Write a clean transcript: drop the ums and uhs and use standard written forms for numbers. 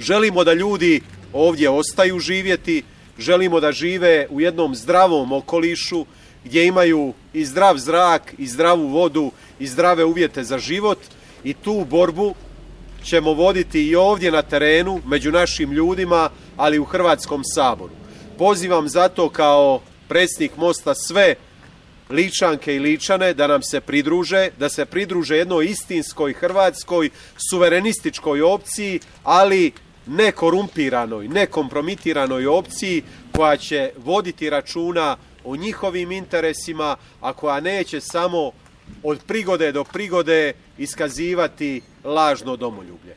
Želimo da ljudi ovdje ostaju živjeti, želimo da žive u jednom zdravom okolišu gdje imaju i zdrav zrak, i zdravu vodu, i zdrave uvjete za život, i tu borbu ćemo voditi i ovdje na terenu, među našim ljudima, ali u Hrvatskom saboru. Pozivam zato kao predsjednik Mosta sve Ličanke i Ličane da nam se pridruže, da se pridruže jednoj istinskoj hrvatskoj suverenističkoj opciji, ali ne korumpiranoj, ne kompromitiranoj opciji koja će voditi računa o njihovim interesima, a koja neće samo od prigode do prigode iskazivati lažno domoljublje.